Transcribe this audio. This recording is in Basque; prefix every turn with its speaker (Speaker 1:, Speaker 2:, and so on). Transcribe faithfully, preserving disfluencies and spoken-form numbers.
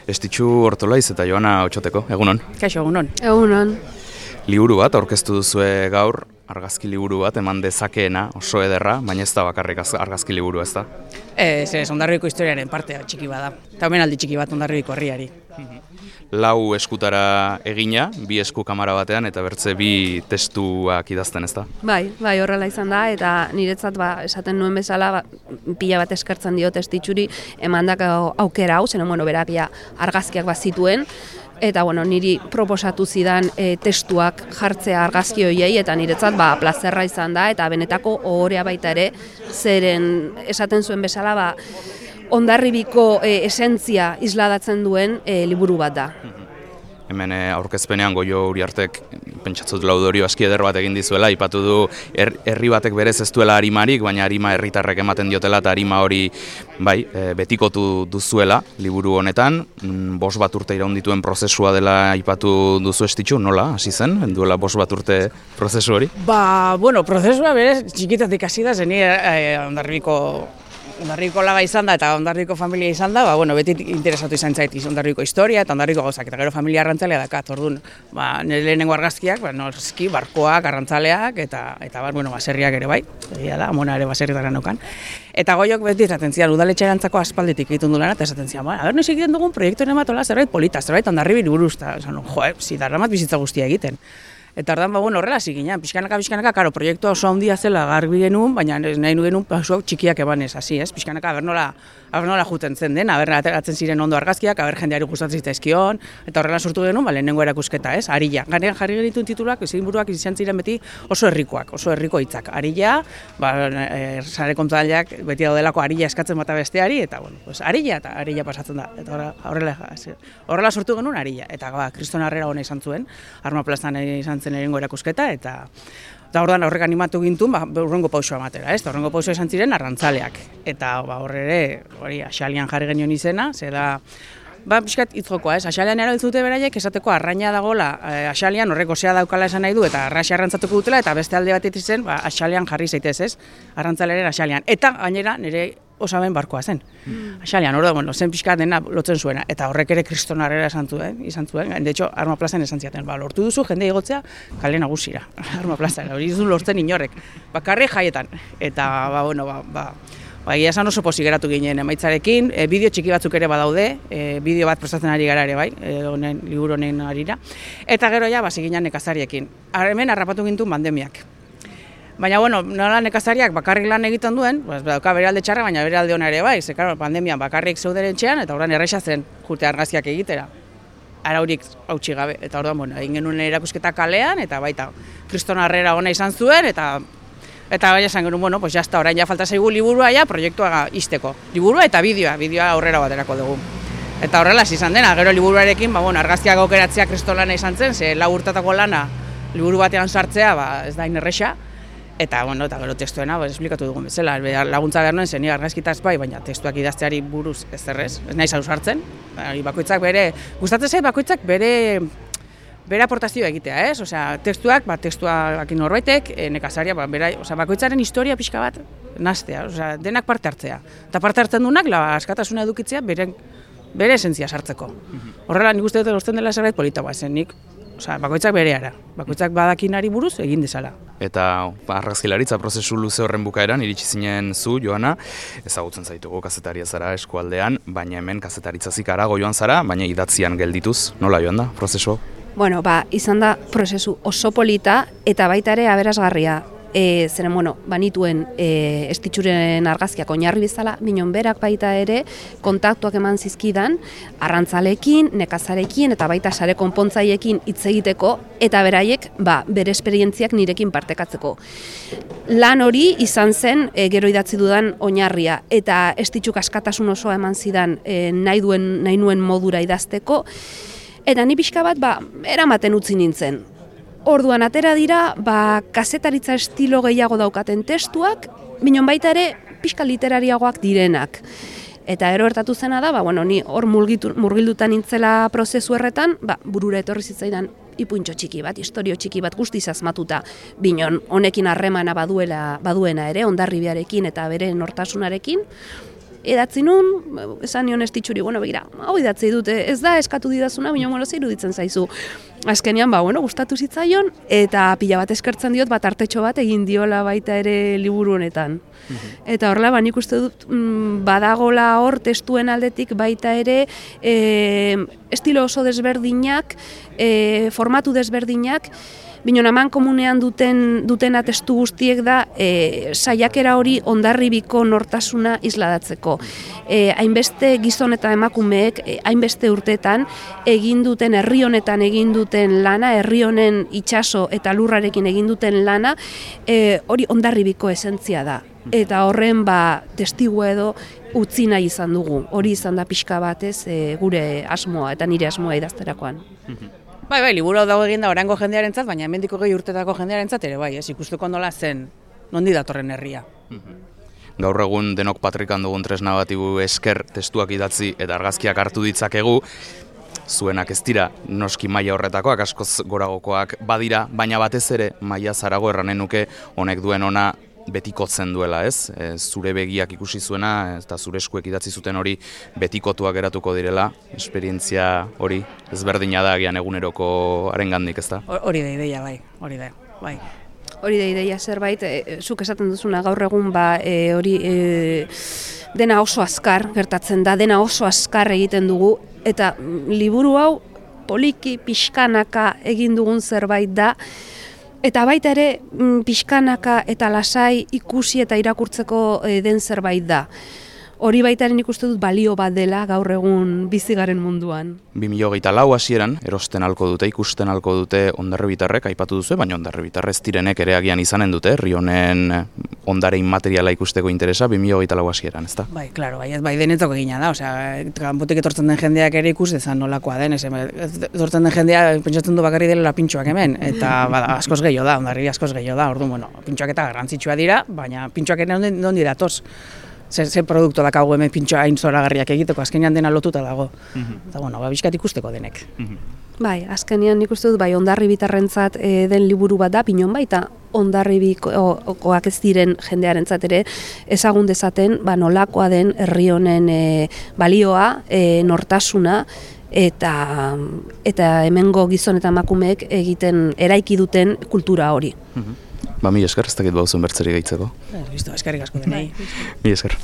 Speaker 1: Estitxu Ortolaiz eta Joana Otxoteko, egunon.
Speaker 2: Kaixo, egunon.
Speaker 3: Egunon.
Speaker 1: Liburu bat aurkeztu duzue gaur, argazki liburu bat, eman dezakeena, oso ederra, baina ez da bakarrik argazki liburu, ez da?
Speaker 2: Ez, ez, Hondarribiko historiaren parte txiki bada. Eta omenaldi txiki bat Hondarribiko herriari.
Speaker 1: Lau eskutara egina, bi esku kamara batean, eta bertze bi testuak idazten, ez da?
Speaker 3: Bai, bai, horrela izan da, eta niretzat ba, esaten nuen bezala, ba, pila bat eskertzen dio Estitxuri emandako aukera hau, zenen, bueno, berak ja argazkiak bat zituen, eta bueno, niri proposatu zidan e, testuak jartzea argazki horiei, eta niretzat ba, plazerra izan da, eta benetako ohorea baita ere, zeren esaten zuen bezala, ba, Hondarribiko e, esentzia isladatzen duen e, liburu bat da.
Speaker 1: Hemen aurkezpenean Goio Uriartek pentsatzut laudorio aski eder bat egin dizuela, aipatu du herri batek berez ez duela arimarik, baina arima herritarrek ematen diotela eta arima hori bai, betikotu duzuela liburu honetan. Bost bat urte iraun dituen prozesua dela aipatu duzu Estitxu, nola hasi zen, duela bost bat urte prozesu hori?
Speaker 2: Ba, bueno, prozesua berez txikitatik hasi da, zeni eh, Hondarribiko Hondarribiko laga izan da eta Hondarribiko familia izan da, ba, bueno, beti interesatu izan zait Hondarribiko historia eta Hondarribiko gauzak, eta gero familia arrantzalea dakat, orduan, ba, nire lehenengo argazkiak, ba, noski, barkoak, arrantzaleak, eta, eta bar, bueno, baserriak ere bai, egia da, amona ere baserritara naukan. Eta Goiok beti esaten zian, udaletxerantzako aspalditik egiten du lana, eta esaten zian, ba, aber noiz egiten dugun proiektuaren bat ola zerbait polita, zerbait Hondarribiri buruz, eta esan, jo, zi, darramat bizitza guztia egiten. Eta ordan ba bueno, horrela hasi ginen, pixkanaka pixkanaka, claro, proiektua oso handia zela garbi genuen, baina ez nahi nu genuen pasu txikiak ebanez, hasi, ez? Pixkanaka aber nola, aber nola juten zen den, aber ateratzen ziren ondo argazkiak, aber jendeari gustatzen zitzaizkion, eta horrela sortu genuen, ba lehenengo erakusketa, ez? Arilla. Garean jarri genituen tituluak, izenburuak izan ziren beti oso herrikoak, oso herriko hitzak. Arilla, ba e, sare kontzaileak beti daudelako arilla eskatzen bata besteari, eta bueno, pues arilla eta arilla pasatzen da. Eta horrela horrela sortu genuen arilla, eta ba Kriston Harrera ona izan zuen, Arma plazan izan zen erengo erakusketa, eta eta orduan horrek animatu gintuen, ba, urrengo pausua ematera, ez? Urrengo pausua izan ziren arrantzaleak. Eta ba, horre ere, hori, Axalian jarri genion izena, ze da, ba, pixkat hitzokoa, ez? Axalian erabiltzute beraiek esateko arraina dagola, eh, Axalian horrek osea daukala esan nahi du, eta arraxia arrantzatuko dutela, eta beste alde batetik zen, ba, Axalian jarri zaitez, ez? Arrantzaleren Axalian. Eta gainera, nire osaben barkoa zen. Mm. Axalian, hori da, bueno, zen pixka dena lotzen zuena, eta horrek ere Kriston Harrera esan zuen, izan zuen, de hecho, Arma plazan esan ziaten, ba, lortu duzu jende igotzea kale nagusira, Arma plazan, hori duzu lortzen inorek, bakarri jaietan, eta, ba, bueno, ba, ba, ba, egia esan oso pozik geratu ginen emaitzarekin, e, bideo txiki batzuk ere badaude, e, bideo bat prestatzen ari gara ere bai, e, honen, liburu honen arira, eta gero ja, basi ginen nekazariekin. Hemen harrapatu gintuen pandemiak. Baina, bueno, nola nekazariak bakarrik lan egiten duen, pues, dauka bere alde txarra, baina bere alde ona ere bai, ze, claro, pandemian bakarrik zeuden etxean, eta orain erresa zen jute argazkiak egitera. Araurik hautsi gabe, eta orduan, bueno, egin genuen erakusketa kalean, eta baita, Kriston Harrera ona izan zuen, eta eta bai esan genuen, bueno, pues jazta, orain ja falta zaigu liburua ja, proiektua izteko. Liburua eta bideoa, bideoa aurrera baterako dugu. Eta horrela izan dena, gero liburuarekin, ba, bueno, argazkiak aukeratzea Kriston lana izan zen, ze lau urtatako lana liburu batean sartzea, ba, ez da inerresa. Eta, bueno, eta gero testuena, ba, esplikatu dugun bezala, laguntza behar nuen zen, argazkitaz bai, baina testuak idazteari buruz ez zerrez, ez nahi zauz hartzen, bakoitzak bere, gustatzen zait bakoitzak bere, bere aportazioa egitea, ez? Osea, testuak, ba, testuak norbaitek, e, nekazaria, ba, bera, osea, bakoitzaren historia pixka bat naztea, osea, denak parte hartzea. Eta parte hartzen duenak, la askatasuna edukitzea, bere, bere esentzia sartzeko. Horrela, nik uste dut lortzen dela zerbait polita, ba, zen nik, osea, bakoitzak bereara, bakoitzak badakinari buruz egin dezala.
Speaker 1: Eta argazkilaritza prozesu luze horren bukaeran iritsi zinen zu, Joana, ezagutzen zaitugu kazetaria zara eskualdean, baina hemen kazetaritza zikarago joan zara, baina idatzian geldituz, nola joan da prozesu?
Speaker 3: Bueno, ba, izan da prozesu oso polita eta baita ere aberasgarria. E, zeren, bueno, banituen e, Estitxuren argazkiak oinarri bezala, minon berak baita ere kontaktuak eman zizkidan, arrantzalekin, nekazarekin eta baita sare konpontzaiekin hitz egiteko, eta beraiek ba, bere esperientziak nirekin partekatzeko. Lan hori izan zen e, gero idatzi dudan oinarria, eta Estitxuk askatasun osoa eman zidan e, nahi, duen, nahi nuen modura idazteko, eta ni pixka bat ba, eramaten utzi nintzen. Orduan atera dira, ba, kazetaritza estilo gehiago daukaten testuak, minon baita ere pixka literariagoak direnak. Eta ero ertatu zena da, ba, bueno, ni hor murgildutan nintzela prozesu erretan, ba, burura etorri zitzaidan ipuintxo txiki bat, historio txiki bat guztiz asmatuta, binon honekin harremana baduela, baduena ere, Hondarribiarekin eta bere nortasunarekin, edatzi nun, esan nion estitxuri, bueno, begira, hau idatzi dute, ez da eskatu didazuna, baina bueno, ze iruditzen zaizu. Azkenean, ba, bueno, gustatu zitzaion, eta pila bat eskertzen diot, bat artetxo bat egin diola baita ere liburu honetan. Eta horrela, ba, nik uste dut, mm, badagola hor testuen aldetik baita ere e, estilo oso desberdinak, e, formatu desberdinak, Binon aman komunean duten, dutena testu guztiek da e, saiakera hori Hondarribiko nortasuna isladatzeko. E, hainbeste gizon eta emakumeek, e, hainbeste urtetan egin duten, herri honetan egin duten lana, herri honen itsaso eta lurrarekin egin duten lana, e, hori Hondarribiko esentzia da. Eta horren ba, testigu edo utzi nahi izan dugu. Hori izan da pixka batez e, gure asmoa eta nire asmoa idazterakoan.
Speaker 2: Bai, bai, liburu hau dago egin da orango jendearentzat, baina hemendiko gehi urtetako jendearentzat ere bai, ez ikusteko nola zen, nondi datorren herria.
Speaker 1: Gaur egun denok patrikan dugun tresna bati esker testuak idatzi eta argazkiak hartu ditzakegu, zuenak ez dira noski maila horretakoak, askoz goragokoak badira, baina batez ere maila zarago erranen nuke honek duen ona betikotzen duela, ez? E, zure begiak ikusi zuena eta zure eskuek idatzi zuten hori betikotuak geratuko direla, esperientzia hori ezberdina da agian eguneroko arengandik, ez da?
Speaker 2: Hori da ideia, bai, hori da, bai.
Speaker 3: Hori da ideia zerbait, e, zuk esaten duzuna gaur egun ba, e, hori e, dena oso azkar gertatzen da, dena oso azkar egiten dugu, eta liburu hau poliki pixkanaka egin dugun zerbait da, eta baita ere pixkanaka eta lasai ikusi eta irakurtzeko den zerbait da. Hori baita ere nik uste dut balio bat dela gaur egun bizigaren munduan.
Speaker 1: bi mila hogeita lau hasieran erosten halko dute, ikusten halko dute hondarribitarrek aipatu duzu, baina hondarribitarrez direnek ere agian izanen dute, herri honen ondare inmateriala ikusteko interesa bi mila hogeita lau hasieran, ezta?
Speaker 2: Bai, claro, bai, bai denetzako egina da, osea, kanpotik etortzen den jendeak ere ikus dezan nolakoa den, ez etortzen den jendea pentsatzen du bakarri dela pintxoak hemen, eta bada, askoz gehiago da, Hondarribi askoz gehiago da, orduan, bueno, pintxoak eta garrantzitsua dira, baina pintxoak ere nondi datoz. Zer, zer produktu dakagu hemen pintxoa hain zoragarriak egiteko, azkenean dena lotuta dago. Eta, bueno, ba, bizkat ikusteko denek.
Speaker 3: Bai, azkenean nik uste dut, bai, Hondarribitarrentzat e, den liburu bat da, pinon baita, Hondarribikoak ez diren jendearentzat ere ezagun dezaten, ba, nolakoa den herri honen e, balioa, e, nortasuna, eta, eta hemengo gizon eta emakumeek egiten eraiki duten kultura hori.
Speaker 1: Ba, mi esker, ez dakit bauzuen bertzeri gehitzeko.
Speaker 2: Listo, eskerrik asko denei.
Speaker 1: Mi esker.